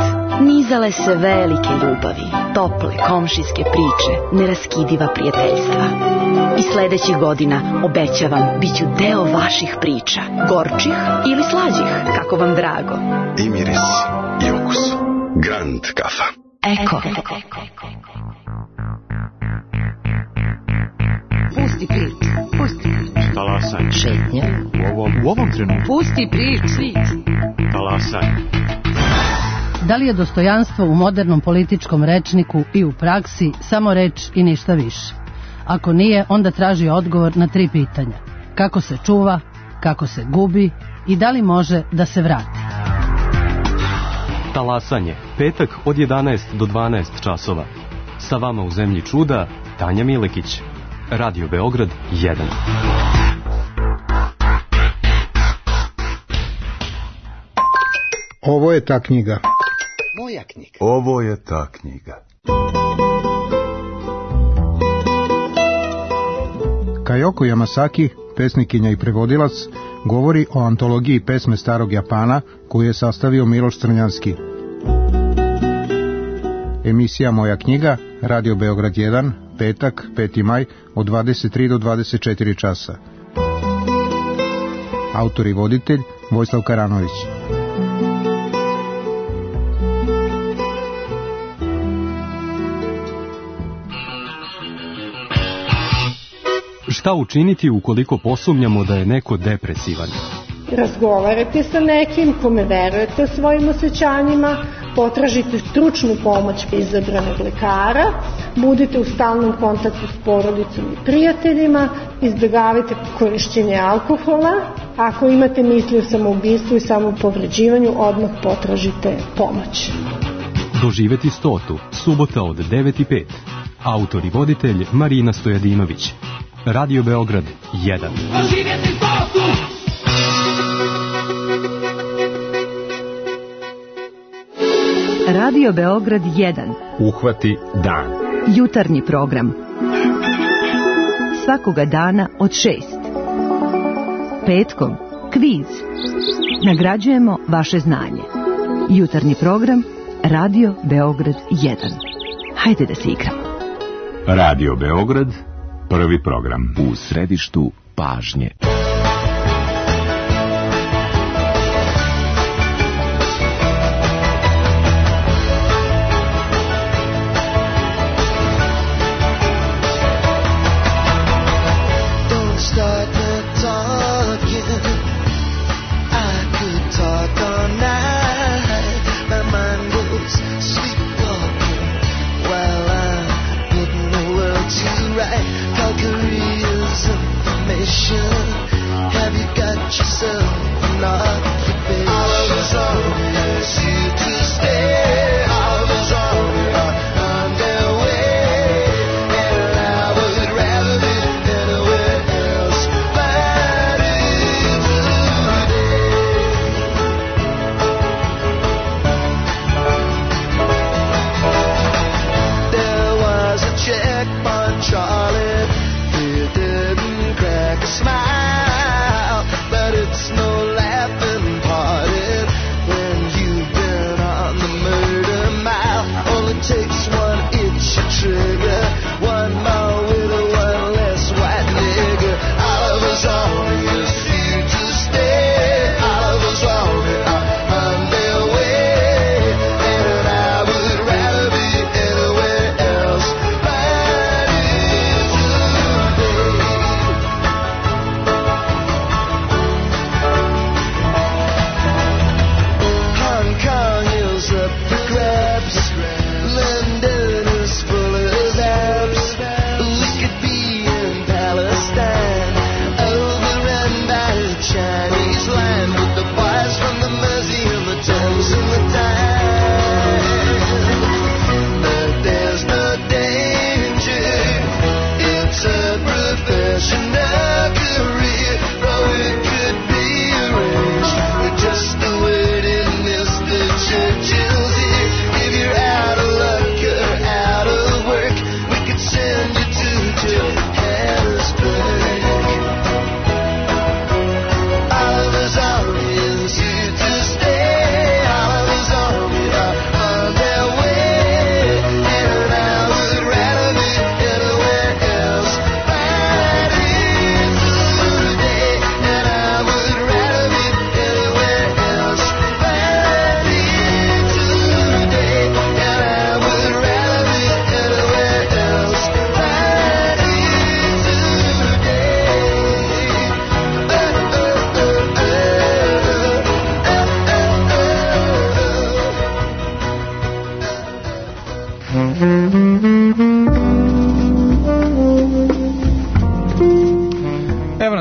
Nizale se velike ljubavi, tople komšijske priče, neraskidiva prijateljstva. I sledećih godina, obećavam, bit ću deo vaših priča. Gorčih ili slađih, kako vam drago. I miris, i okus. Grand kafa. Eko. Pusti priču, pusti priču. Talasaj. Šetnja. U ovom trenutku. Pusti priču. Talasaj. Da li je dostojanstvo u modernom političkom rečniku i u praksi samo reč i ništa više? Ako nije, onda traži odgovor na 3 pitanja. Kako se čuva, kako se gubi i da li može da se vrati? Talasanje, petak od 11 do 12 časova. Sa vama u Zemlji čuda, Tanja Milekić. Radio Beograd 1. Ovo je ta knjiga. Moja knjiga. Ovo je ta knjiga. Kajoko Yamasaki, pesnikinja i prevodilac, govori o antologiji pesme starog Japana koju je sastavio Miloš Crnjanski. Emisija Moja knjiga, Radio Beograd 1, petak, 5. maj, od 23 do 24 časa. Autor i voditelj Vojislav Karanović. Šta učiniti ukoliko posumnjamo da je neko depresivan? Razgovarajte sa nekim kome verujete o svojim osjećanjima, potražite stručnu pomoć izabranog lekara, budite u stalnom kontaktu s porodicom i prijateljima, izbjegavajte korišćenje alkohola. Ako imate misli o samoubistvu i samopovređivanju, odmah potražite pomoć. Doživeti 100. Subota od 9:05. Autor i voditelj Marina Stojadinović. Radio Beograd 1. Doživjeti 100. Radio Beograd 1. Uhvati dan. Jutarnji program. Svakoga dana od 6. Petkom kviz. Nagrađujemo vaše znanje. Jutarnji program Radio Beograd 1. Hajde da se igramo. Radio Beograd, prvi program. U središtu pažnje. Charlie, he didn't crack a smile.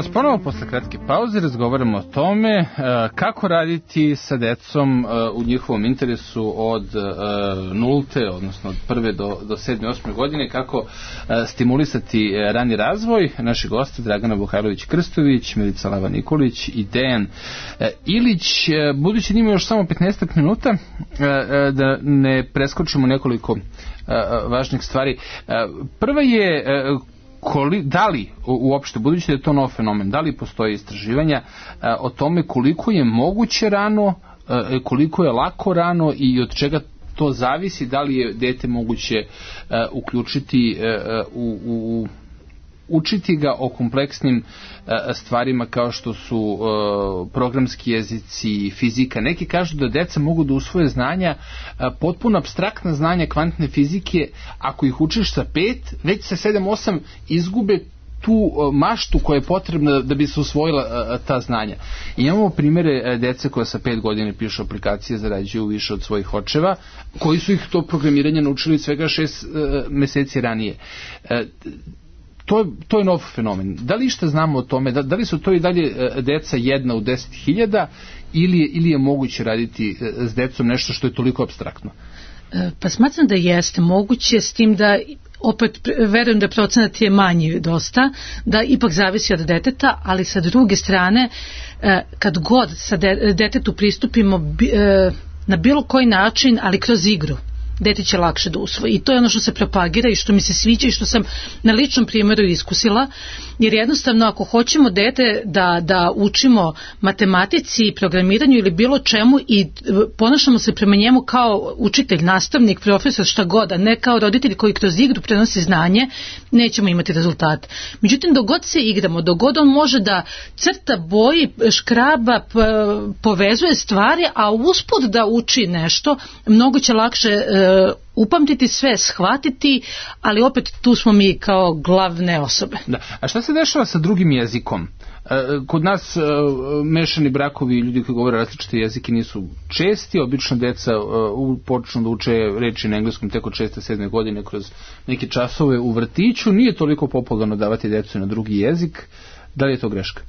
vas ponovo posle kratke pauze, razgovaramo o tome kako raditi sa decom u njihovom interesu od nulte, odnosno od 1. do 7. 8. godine, kako stimulisati rani razvoj. Naši gosti Dragana Vuhajlović-Krstović, Milica Lava-Nikolić i Dejan Ilić. Budući da ima još samo 15 minuta, da ne preskočimo nekoliko važnih stvari. Prva je da li uopšte, budući da je to nov fenomen, da li postoje istraživanja o tome koliko je moguće rano, koliko je lako rano i od čega to zavisi, da li je dete moguće uključiti učiti ga o kompleksnim stvarima kao što su programski jezici, fizika. Neki kažu da deca mogu da usvoje znanja, potpuno apstraktna znanja kvantne fizike, ako ih učiš sa 5, već sa 7-8 izgube tu maštu koja je potrebna da bi se usvojila ta znanja. I imamo primere dece koja sa 5 godina pišu aplikacije, zarađuju više od svojih očeva, koji su ih to programiranje naučili svega 6 meseci ranije. To je nov fenomen. Da li što znamo o tome? Da li su to i dalje deca 1 u 10.000 ili je moguće raditi s decom nešto što je toliko apstraktno? Pa smatram da jeste moguće, s tim da opet verujem da procenat je manji dosta, da ipak zavisi od deteta, ali sa druge strane kad god sa detetu pristupimo na bilo koji način, ali kroz igru, dete će lakše da usvoji. I to je ono što se propagira i što mi se sviđa i što sam na ličnom primjeru iskusila, jer jednostavno ako hoćemo dete da učimo matematici, programiranju ili bilo čemu i ponašamo se prema njemu kao učitelj, nastavnik, profesor, šta god, a ne kao roditelj koji kroz igru prenosi znanje, nećemo imati rezultat. Međutim, dok god se igramo, dok god on može da crta, boji, škraba, povezuje stvari, a usput da uči nešto, mnogo će lakše upamtiti sve, shvatiti, ali opet tu smo mi kao glavne osobe. Da. A šta se dešava sa drugim jezikom? Kod nas mešani brakovi, ljudi koji govore različite jezike nisu česti, obično deca počnu da uče reči na engleskom tek od 6. 7. godine kroz neke časove u vrtiću. Nije toliko popularno davati decu na drugi jezik. Da li je to greška?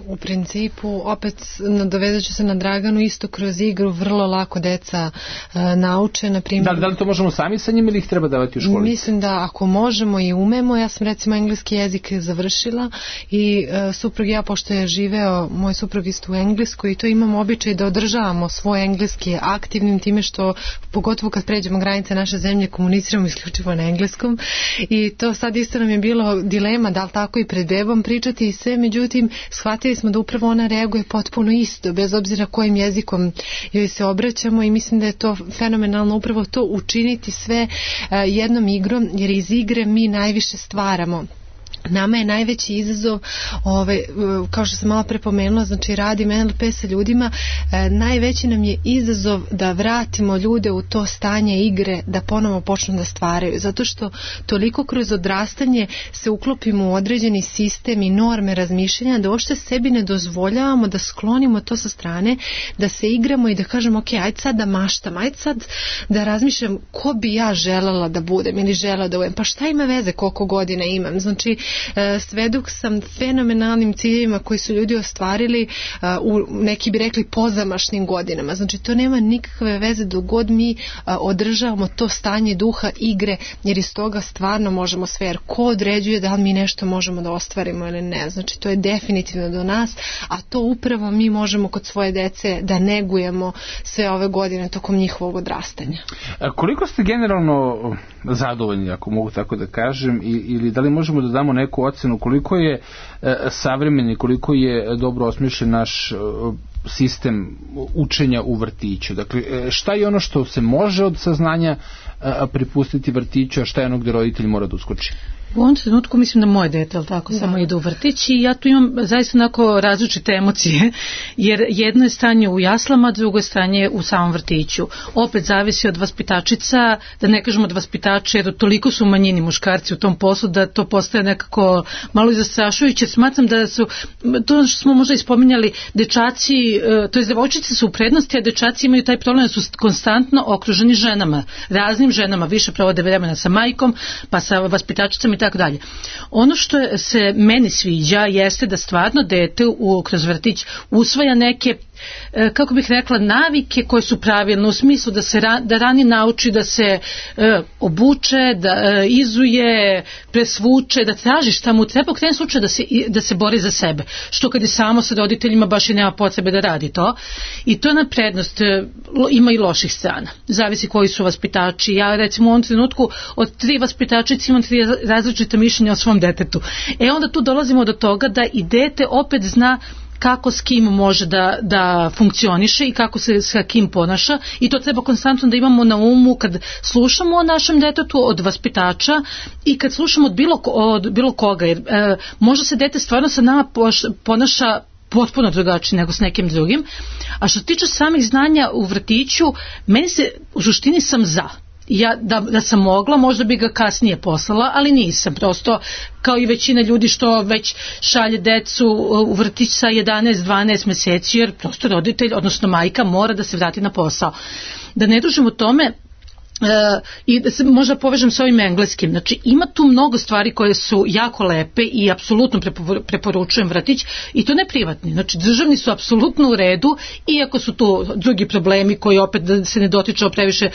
U principu, opet nadovezat ću se na Draganu, isto kroz igru vrlo lako deca nauče, na primjer. Da li to možemo sami sa njim ili ih treba davati u školi? Mislim da ako možemo i umemo. Ja sam recimo engleski jezik završila i suprug ja, pošto je živeo moj suprug isto u Engleskoj, i to imamo običaj da održavamo svoj engleski aktivnim time što, pogotovo kad pređemo granice naše zemlje, komuniciramo isključivo na engleskom, i to sad isto nam je bilo dilema da li tako i pred bebom pričati i sve, međutim shvatili smo da upravo ona reaguje potpuno isto, bez obzira kojim jezikom joj se obraćamo, i mislim da je to fenomenalno upravo to učiniti sve jednom igrom, jer iz igre mi najviše stvaramo. Nama je najveći izazov, kao što sam malo prepomenula, znači radim NLP sa ljudima, najveći nam je izazov da vratimo ljude u to stanje igre, da ponovo počnu da stvaraju, zato što toliko kroz odrastanje se uklopimo u određeni sistem i norme razmišljanja da uopšte sebi ne dozvoljavamo da sklonimo to sa strane, da se igramo i da kažemo ok, ajde sad da maštam, ajde sad da razmišljam ko bi ja želela da budem ili želela da budem, pa šta ima veze koliko godina imam, znači svedok sam fenomenalnim ciljevima koji su ljudi ostvarili u, neki bi rekli, pozamašnim godinama. Znači to nema nikakve veze dok god mi održavamo to stanje duha igre, jer iz toga stvarno možemo sve, jer ko određuje da li mi nešto možemo da ostvarimo ili ne. Znači to je definitivno do nas, a to upravo mi možemo kod svoje dece da negujemo sve ove godine tokom njihovog odrastanja. Koliko ste generalno zadovoljni, ako mogu tako da kažem, ili da li možemo da damo neku ocenu koliko je savremeni, koliko je dobro osmišljen naš sistem učenja u vrtiću? Dakle, šta je ono što se može od saznanja pripustiti vrtiću, a šta je ono gde roditelj mora da uskoči? U ovom trenutku mislim da moje dete, ali tako, samo ide u vrtić, i ja tu imam zaista onako različite emocije, jer jedno je stanje u jaslama, drugo je stanje u samom vrtiću. Opet zavisi od vaspitačica, da ne kažemo od vaspitača, jer toliko su manjini muškarci u tom poslu da to postaje nekako malo i zastrašujuće. Smatram da su, to što smo možda ispominjali, dečaci, to je devojčice su u prednosti, a dečaci imaju taj problem da su konstantno okruženi ženama, raznim ženama, više provode vremena sa majkom, pa sa vaspitačicama, tako dalje. Ono što se meni sviđa jeste da stvarno dete kroz vrtić usvaja neke, kako bih rekla, navike koje su pravilne, u smislu da rani nauči da se obuče, da izuje, presvuče, da traži šta mu treba, u krajnjem slučaju da se bori za sebe, što kad je samo sa roditeljima baš i nema potrebe da radi to. I to je na prednost. Ima i loših strana, zavisi koji su vaspitači. Ja recimo u ovom trenutku od 3 vaspitačice imam 3 različita mišljenja o svom detetu. Onda tu dolazimo do toga da i dete opet zna kako s kim može da funkcioniše i kako se sa kim ponaša, i to treba konstantno da imamo na umu kad slušamo o našem detetu od vaspitača i kad slušamo od bilo koga, jer možda se dete stvarno sa nama ponaša potpuno drugačije nego s nekim drugim. A što se tiče samih znanja u vrtiću, meni se u suštini sam za. Ja da sam mogla, možda bi ga kasnije poslala, ali nisam. Prosto, kao i većina ljudi što već šalje decu u vrtić sa 11-12 meseci, jer prosto roditelj, odnosno majka, mora da se vrati na posao. Da ne dužimo o tome, i da se možda povežem s ovim engleskim. Znači, ima tu mnogo stvari koje su jako lepe i apsolutno preporučujem vrtić, i to ne privatni. Znači, državni su apsolutno u redu, iako su tu drugi problemi koji opet se ne dotiču previše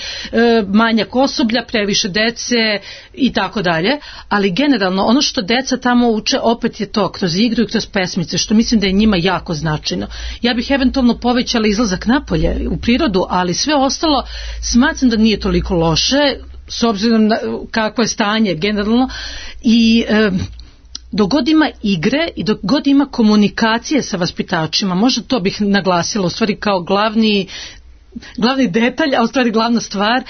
manjak osoblja, previše dece i tako dalje, ali generalno ono što deca tamo uče opet je to kroz igru i kroz pesmice, što mislim da je njima jako značajno. Ja bih eventualno povećala izlazak napolje u prirodu, ali sve ostalo smatram da nije toliko loše, s obzirom na kakvo je stanje generalno, i dok god ima igre i dok god ima komunikacije sa vaspitačima, možda to bih naglasila u stvari kao glavni detalj, a u stvari glavna stvar,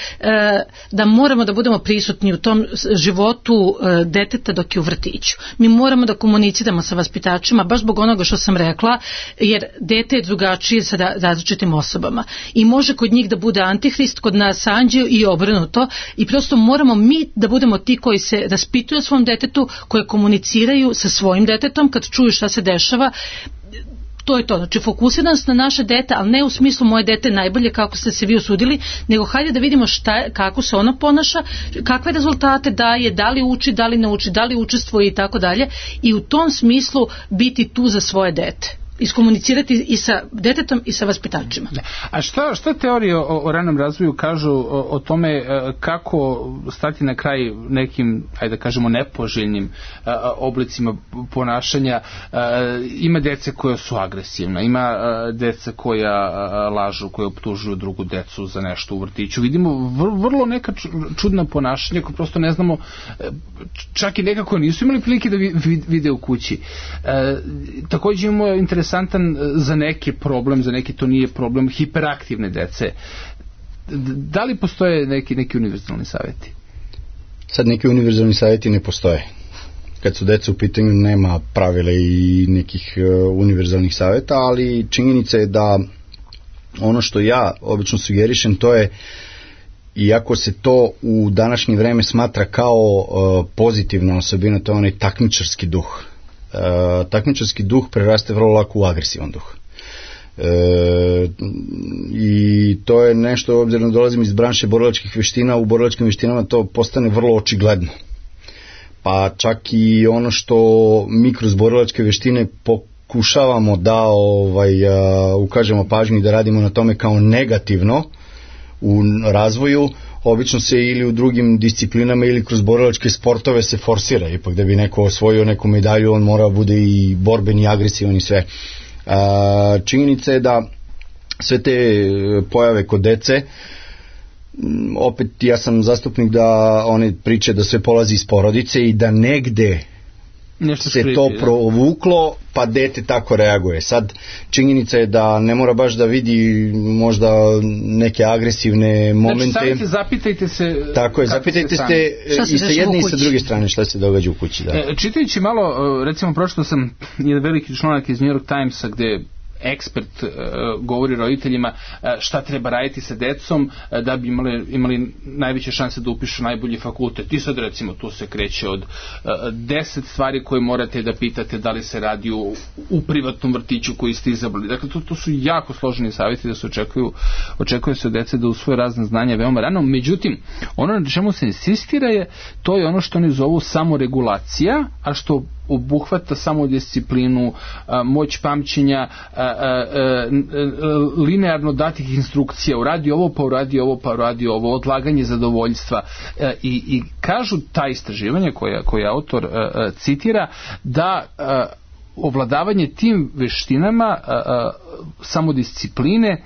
da moramo da budemo prisutni u tom životu deteta dok je u vrtiću. Mi moramo da komuniciramo sa vaspitačima, baš zbog onoga što sam rekla, jer dete je drugačije sa različitim osobama i može kod njih da bude antihrist, kod nas anđeo i obrnuto, i prosto moramo mi da budemo ti koji se raspituju o svom detetu, koji komuniciraju sa svojim detetom kad čuju šta se dešava. To je to, znači fokusiranost na naše dete, ali ne u smislu moje dete najbolje kako ste se vi usudili, nego hajde da vidimo kako se ono ponaša, kakve rezultate daje, da li uči, da li ne uči, da li učestvuje i tako dalje, i u tom smislu biti tu za svoje dete. Iskomunicirati i sa detetom i sa vaspitačima. A šta teorije o ranom razvoju kažu o tome kako stati na kraj nekim, ajde da kažemo, nepoželjnim oblicima ponašanja? Ima dece koja su agresivna, ima deca koja lažu, koja optužuju drugu decu za nešto u vrtiću. Vidimo vrlo neka čudna ponašanja koje prosto ne znamo, čak i nekako nisu imali prilike da vide u kući. Također imamo interesantan za neki problem, za neki to nije problem, hiperaktivne dece. Da li postoje neki univerzalni savjeti? Sad neki univerzalni savjeti ne postoje. Kad su deca u pitanju nema pravila i nekih univerzalnih savjeta, ali činjenica je da ono što ja obično sugerišem, to je, iako se to u današnje vreme smatra kao pozitivna osobina, to je onaj takmičarski duh. Takmičarski duh preraste vrlo lako u agresivan duh. I to je nešto, obzirom da dolazim iz branše borilačkih veština, u borilačkim veštinama to postane vrlo očigledno. Pa čak i ono što mi kroz borilačke veštine pokušavamo da ukažemo pažnju i da radimo na tome kao negativno u razvoju, obično se ili u drugim disciplinama ili kroz borilačke sportove se forsira. Ipak da bi neko osvojio neku medalju, on mora bude i borben i agresivan i sve. Činjenica je da sve te pojave kod dece, opet ja sam zastupnik da one priče da sve polazi iz porodice i da negde nešto se to provuklo, pa dete tako reaguje. Sad, činjenica je da ne mora baš da vidi možda neke agresivne momente. Znači, zapitajte se. Tako je, zapitajte se i sa jedne i sa druge strane šta se događa u kući. Da. Čitajući malo, recimo pročitao sam jedan veliki članak iz New York Timesa gde ekspert govori roditeljima šta treba raditi sa decom da bi imali najveće šanse da upišu najbolji fakultet. I sad recimo tu se kreće od 10 stvari koje morate da pitate da li se radi u privatnom vrtiću koji ste izabrali. Dakle, to su jako složeni savjeti da se očekuje se od dece da usvoje razne znanja veoma rano. Međutim, ono na čemu se insistira to je ono što oni zovu samoregulacija, a što obuhvata samodisciplinu, moć pamćenja, linearno datih instrukcija, uradi ovo, pa uradi ovo, pa uradi ovo, odlaganje zadovoljstva. I kažu ta istraživanja koje autor citira da ovladavanje tim veštinama samodiscipline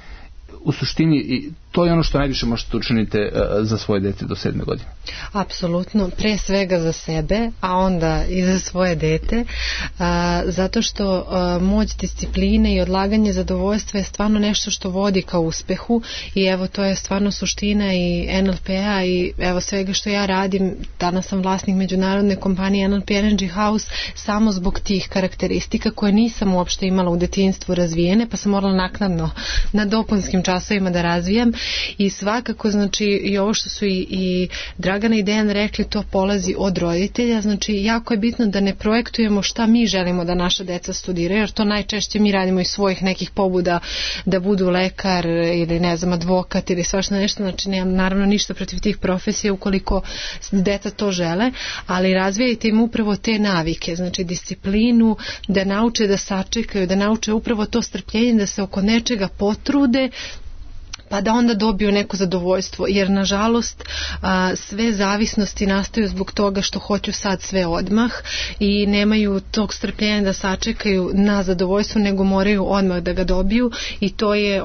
u suštini to je ono što najviše možete učiniti za svoje dete do 7. godine. Apsolutno, pre svega za sebe, a onda i za svoje dete, zato što moć discipline i odlaganje zadovoljstva je stvarno nešto što vodi ka uspehu i evo to je stvarno suština i NLP-a i evo svega što ja radim. Danas sam vlasnik međunarodne kompanije NLP Energy House samo zbog tih karakteristika koje nisam uopšte imala u detinjstvu razvijene, pa sam morala naknadno na dopunskim časovima da razvijam. I svakako, znači, i ovo što su i Dragana i Dejan rekli, to polazi od roditelja. Znači, jako je bitno da ne projektujemo šta mi želimo da naša deca studiraju, jer to najčešće mi radimo iz svojih nekih pobuda da budu lekar ili ne znam, advokat ili svašta nešto. Znači, nemam naravno ništa protiv tih profesija ukoliko deca to žele, ali razvijajte im upravo te navike, znači disciplinu, da nauče da sačekaju, da nauče upravo to strpljenje, da se oko nečega potrude, pa da onda dobiju neko zadovoljstvo, jer nažalost sve zavisnosti nastaju zbog toga što hoću sad sve odmah i nemaju tog strpljenja da sačekaju na zadovoljstvo, nego moraju odmah da ga dobiju i to je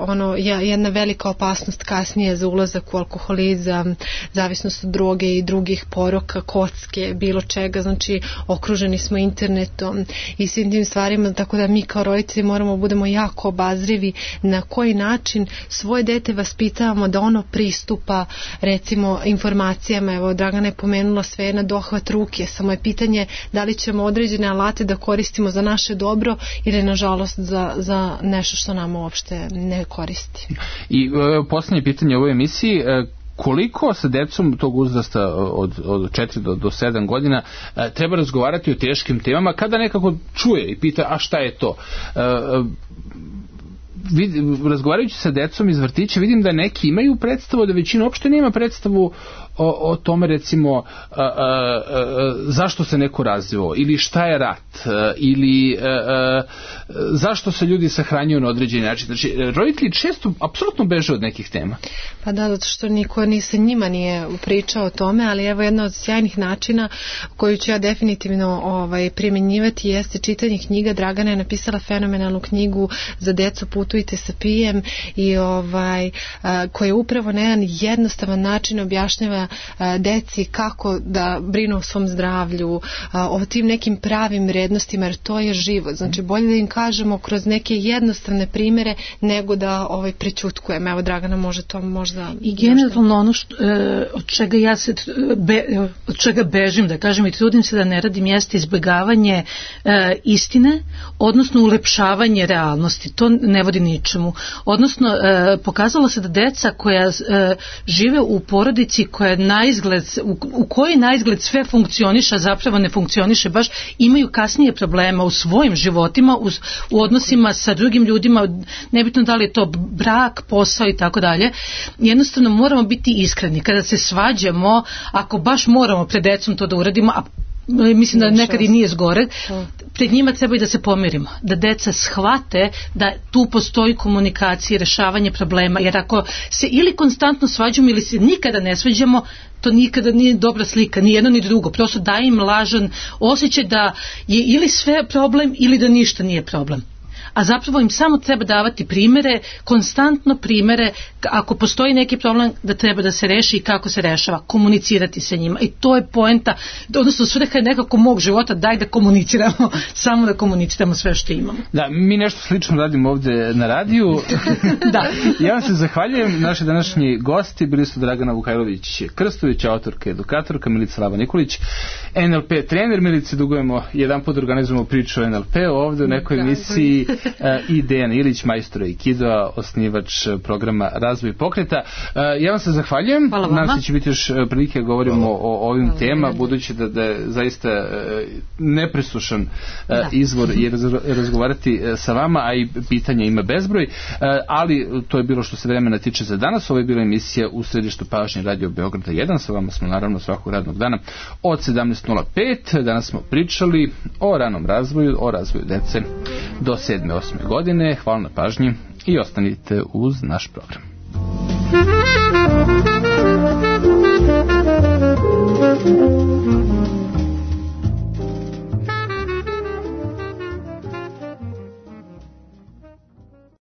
jedna velika opasnost kasnije za ulazak u alkoholizam, zavisnost od droge i drugih poroka, kocke, bilo čega. Znači okruženi smo internetom i svim tim stvarima, tako da mi kao roditelji moramo budemo jako obazrivi na koji način svoje dete vaspitavamo da ono pristupa recimo informacijama. Evo Dragana je pomenula sve na dohvat ruke, samo je pitanje da li ćemo određene alate da koristimo za naše dobro ili nažalost za nešto što nam uopšte ne koristi. I posljednje pitanje u ovoj emisiji, koliko sa decom tog uzrasta od 4 do 7 godina treba razgovarati o teškim temama kada nekako čuje i pita a šta je to? Razgovarajući sa decom iz vrtića vidim da neki imaju predstavu, da većina uopšte nema predstavu o tome recimo zašto se neko razvio ili šta je rat ili zašto se ljudi sahranjuju na određeni način. Znači roditelji često apsolutno beže od nekih tema. Pa da, zato što niko ni sa njima nije pričao o tome, ali evo jedna od sjajnih načina koju ću ja definitivno primjenjivati jeste čitanje knjiga. Dragana je napisala fenomenalnu knjigu za decu Putujte sa pijem i koja upravo na jedan jednostavan način objašnjava deci kako da brinu o svom zdravlju, o tim nekim pravim vrednostima, jer to je život. Znači bolje da im kažemo kroz neke jednostavne primere nego da prećutkujemo. Evo Dragana može to možda... I generalno ono od čega ja se od čega bežim, da kažem, i trudim se da ne radim, jeste izbjegavanje istine, odnosno ulepšavanje realnosti. To ne vodi ničemu. Odnosno pokazalo se da deca koja žive u porodici koja u kojoj naizgled sve funkcioniše, a zapravo ne funkcioniše baš, imaju kasnije problema u svojim životima, u odnosima sa drugim ljudima, nebitno da li je to brak, posao i tako dalje. Jednostavno moramo biti iskreni. Kada se svađamo, ako baš moramo pred decom to da uradimo, a mislim da nekad i nije zgore, pred njima treba i da se pomirimo, da deca shvate da tu postoji komunikacija i rešavanje problema, jer ako se ili konstantno svađamo ili se nikada ne svađamo, to nikada nije dobra slika, ni jedno ni drugo, prosto daje im lažan osjećaj da je ili sve problem ili da ništa nije problem. A zapravo im samo treba davati primere, konstantno primere, ako postoji neki problem da treba da se reši i kako se rešava, komunicirati sa njima. I to je poenta, odnosno svrha je nekako mog života, daj da komuniciramo, samo da komuniciramo sve što imamo. Da, mi nešto slično radimo ovdje na radiju. Da. Ja vam se zahvaljujem, naši današnji gosti bili su Dragana Vukajlović-Krstović, autorka, edukatorka, Milica Lava-Nikolić, NLP trener. Milici dugujemo jedan put organizujemo priču o NLP ovdje u nekoj emisiji. i Dejan Ilić, majstor aikidoa, osnivač programa Razvoj pokreta. Ja vam se zahvaljujem. Nadam se će biti još prilike govorimo o ovim tema, budući da je zaista nepresušan izvor i razgovarati sa vama, a i pitanja ima bezbroj, ali to je bilo što se vremena tiče za danas. Ovo je bila emisija U središtu pažnje Radio Beograda 1. Sa vama smo naravno svakog radnog dana od 17.05. Danas smo pričali o ranom razvoju, o razvoju dece do 7. 8. godine. Hvala na pažnji i ostanite uz naš program.